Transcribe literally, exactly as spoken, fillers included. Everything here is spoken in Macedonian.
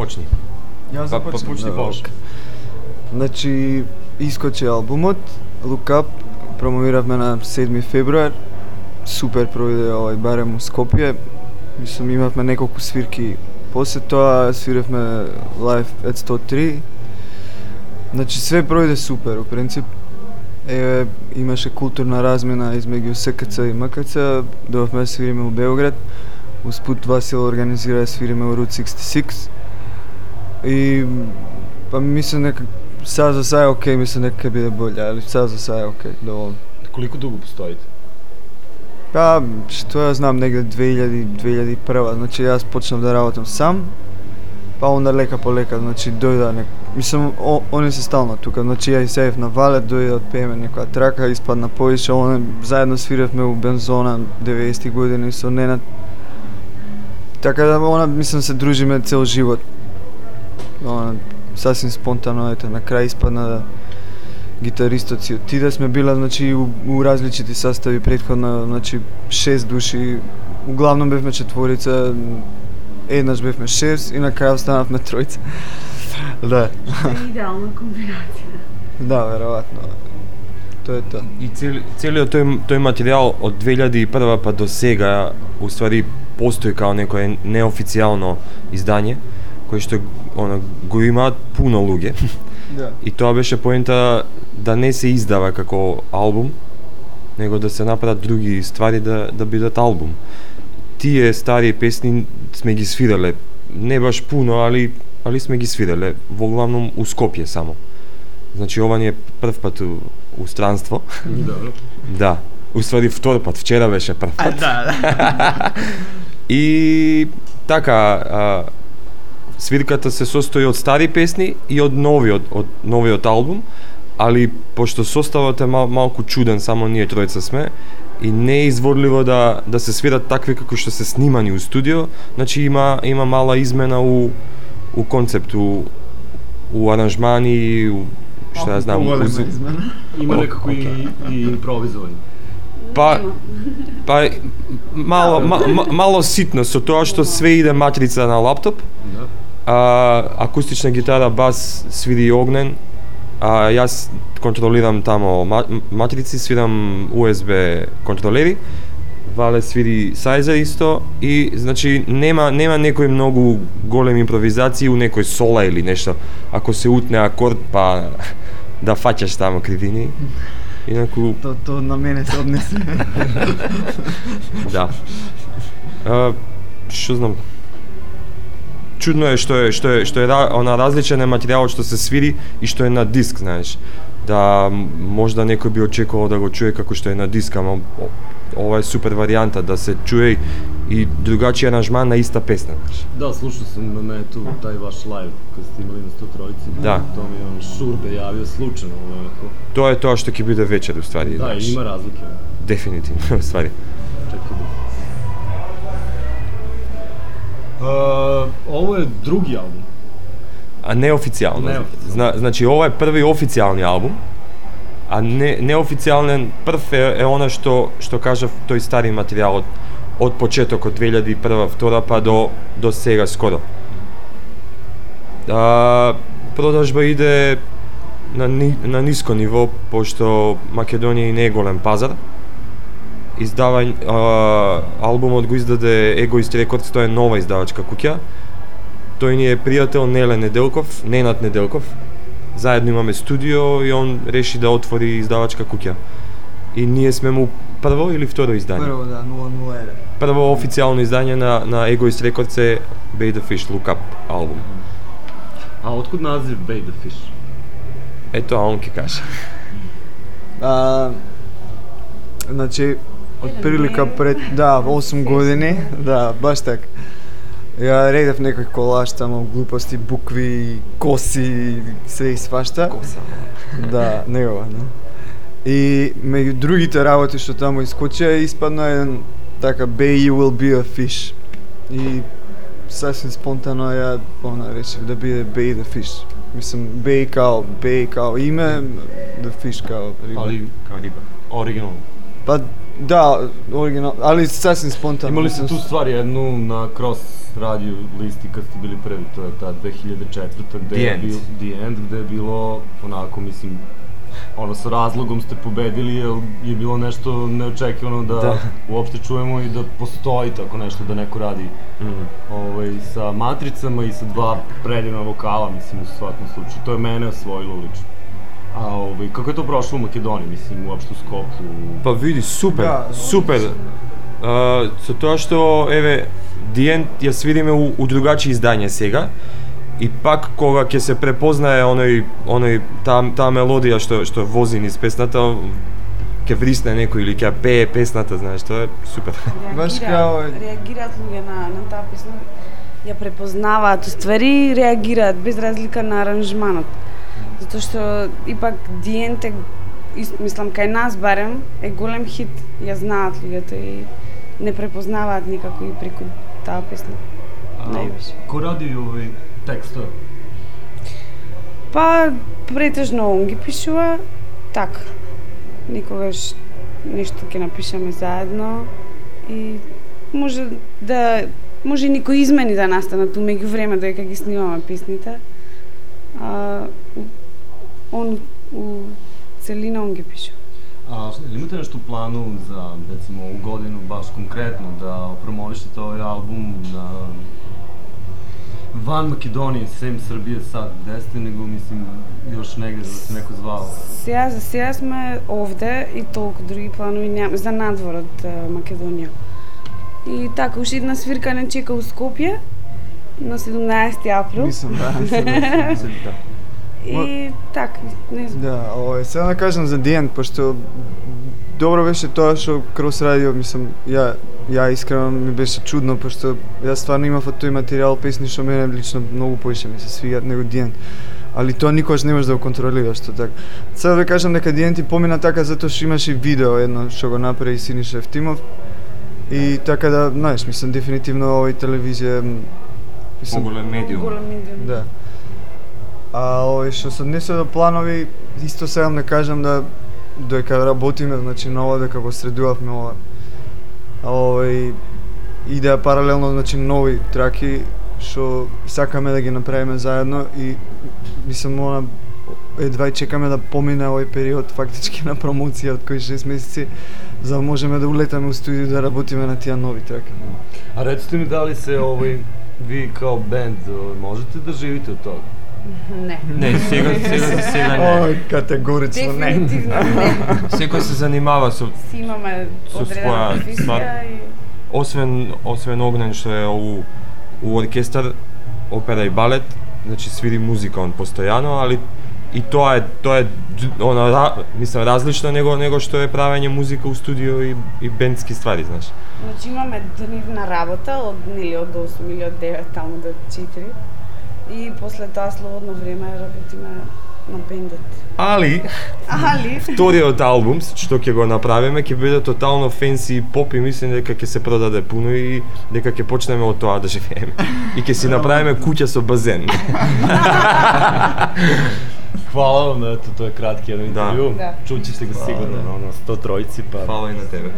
почни. Ја започнам. Па почни Бош. Значи, искочи албумот, Look Up, промовиравме на седми февруар. Супер проведе овај барем у Скопје. Мислам, имавме неколку свирки. После тоа свиревме лайв ет сто три. Значи, све проведе супер, у принцип. Е, имаше културна размена измеѓу С К Ц и М К Ц. Дојавме да свириме у Белград. Успут Васил организира да свириме у Route шесте и шест. И па мислам дека сега за сега е окей, мислам дека ќе биде боле, али сега за сега е окей, доволно. Колико дуго постоите? Па, што ја знам, негде две илјади две илјади и прва, значи јас почнав да работам сам, па онда лека по лека, значи дојда нек... Мислам, о, они се стално тука, значи ја и сеев на Валет, дојде да отпееме некоја трака, испадна повише, оне, заедно свиревме у Бензона деветдесети години со Ненад. Така да, она, мислам, се дружиме цел живот. Она, сасвим спонтано, ете, на крај испадна да гитаристот си отиде, сме била, значи, у, у различити sastavi претходно, значи, шест души, углавном бевме четворица, еднаш бевме шест и на крај останавме тројца. Да. Идеална комбинација. Да, веројатно. Тоа е тоа. И цели, целиот тој, тој материјал од две илјади и прва па до сега, уствари, постои као некое неофицијално издание, кој што она, го имаат пуно луѓе. Да. И тоа беше поента да не се издава како албум, него да се направат други ствари да, да бидат албум. Тие стари песни сме ги свирале, не баш пуно, али, али сме ги свирале, во главном у Скопје само. Значи ова ни е прв пат у, у странство. Добро. Да, уствари втор пат, вчера беше прв пат. А, да, да. И така, а, свирката се состои од стари песни и од новиот, од новиот албум, али пошто составот е мал, малку чуден, само ние тројца сме, и не е изворливо да да се свират такви како што се снимани у студио, значи има има мала измена у у концепт, у, у аранжмани, у што ја знам, у звук. Има некако и, и импровизовани. Па па мало ма, ма, мало ситно со тоа што све иде матрица на лаптоп. Да. А, акустична гитара, бас свири Огнен, а јас контролирам тамо матрици, свирам У Ес Би контролери, Вале свири Сайзер исто, и значи нема нема некои многу големи импровизации у некој сола или нешто. Ако се утне акорд, па да фаќаш тамо кривини. Инаку То, то на мене се однесе. да. А, што знам, чудно е што е што е што е она различен е материјалот што се свири и што е на диск, знаеш. Да можда некој би очекувал да го чуе како што е на диск, ама ова е супер варијанта да се чуе и другачи аранжман на иста песна, знаеш. Да, слушao sam na metu taj vaš live kad ste imali na sto trojici. Да. To mi je on Šurbe javio slučajno, onako. Тоа е тоа што ќе биде вечер, уствари. Da, знаеш. ima razlike. Дефинитивно, уствари. Čekaj da. Uh, ovo je drugi album. А неофицијално. Неофицијално. Зна, значи ова е први официјални албум, а не неофицијален прв е, е она што што кажав тој стари материјал од од почетокот две илјади и прва, втора па до до сега скоро. А, продажба иде на ни, на ниско ниво, пошто Македонија и не е голем пазар. Издавање а, албумот го издаде Egoist Records, тоа е нова издавачка куќа. Тој ни е пријател Неле Неделков, Ненад Неделков. Заедно имаме студио и он реши да отвори издавачка куќа. И ние сме му прво или второ издание? Прво, да, нула нула еден. Прво официјално издание на на Egoist Records е Bay the Fish Look Up албум. A otkud naziv Bay the Fish? Ето, а он ќе каже. А, значи, од прилика пред, да, осум години, да, баш така. Ја редев некој колаж тамо, глупости, букви, коси, све и свашта. Коса. Да, негова, да. И меѓу другите работи што таму искочија, испадна еден така Bay You Will Be a Fish. И сасвим спонтано ја она решив да биде Bay the Fish. Мислам, Bay као, Bay као име, the Fish као риба. Ali kao riba. Originalno. Па да, оригинал, али сасвим спонтано. Имали ste tu stvar jednu na cross radio listi kad ste bili prvi, to je ta dve hiljade četvrta gde The je End. bil The End, gde je bilo onako, mislim, ono sa razlogom ste pobedili, jer je bilo nešto neočekivano da, Da. uopšte čujemo i da postoji tako nešto, da neko radi Mhm. ovaj, sa matricama i sa dva predivna vokala, mislim, u svakom slučaju. To je mene osvojilo lično. A ovaj, kako je to prošlo u Makedoniji, mislim, uopšte u Skopju? Pa vidi, super, Da, super. Uh, со тоа што, еве, The End ја свидиме у, у другачи издање сега, и пак кога ќе се препознае оној, оној, таа, таа мелодија што, што вози низ песната, ќе врисне некој или ќе ја пее песната, знаеш, тоа е супер. Баш Реагираат- као- реагираат луѓе на, на таа песна, ја препознаваат уствари и реагираат без разлика на аранжманот. Затоа што ипак The End е, ис- мислам, кај нас барем, е голем хит, ја знаат луѓето и не препознаваат никако и преку таа песна. Највише. Ko radi ovaj tekstove? Па, претежно он ги пишува, така. Никогаш нешто ќе напишеме заедно и може да може и некои измени да настанат умеѓу време додека ги снимаме песните. А он у целина он ги пишува. A ili imate nešto u planu za, recimo, ovu godinu baš konkretno da promovišete ovaj album na van Makedonije, sem Srbije sad, gde ste, nego mislim još negde da se neko zvao? Сега за сега сме овде и толку други планови нема за надвор од е, Македонија. И така, уште една свирка не чека у Скопје на седумнаесети април. Мислам, да. мислам, да. И така, не знам. Да, овој, сега да кажам за The End, пошто добро беше тоа што Крос радио, мислам, ја ја искрено ми беше чудно, пошто јас стварно имав од тој материјал песни што мене лично многу поише ми се свигаат него The End. Али тоа никогаш не можеш да го контролираш, што така. Сега да кажам дека The End и помина така затоа што имаше и видео едно што го направи Синиша Евтимов. И така да, знаеш, мислам дефинитивно овој телевизија мислам Поголем медиум. Голем медиум. Да. А овој што се однесе до планови, исто сакам да кажам да додека работиме, значи на ова дека го средувавме ова. А овој идеја паралелно, значи нови траки што сакаме да ги направиме заедно и мислам она едва и чекаме да помине овој период фактички на промоција од кои шест месеци за да можеме да улетаме у студио да работиме на тие нови траки. A recite mi da li se ovaj, vi kao band ovaj, možete da živite od toga? Не. Не, сега, сега за сега не. Ој, категорично не. Дефинитивно не. Секој се занимава со, Си имаме Со одредена своја професија ствар. и освен, освен Огнен што е у, у оркестар, опера и балет, значи свири музика он постојано, али и тоа е тоа е д- она ра- мислам различно него него што е правење музика у студио и и бендски ствари, знаеш. Значи имаме дневна работа од нели од осум или од девет таму до четири. И после тоа слободно време работиме на бендот. Али Али вториот албум што ќе го направиме ќе биде тотално фенси и поп и мислам дека ќе се продаде пуно и дека ќе почнеме од тоа да живееме. И ќе си направиме куќа со базен. Hvala vam, eto, to je kratki jedan Da. intervju. Da. Čut ćete ga sigurno na ono sto trojici, pa... Фала и на тебе.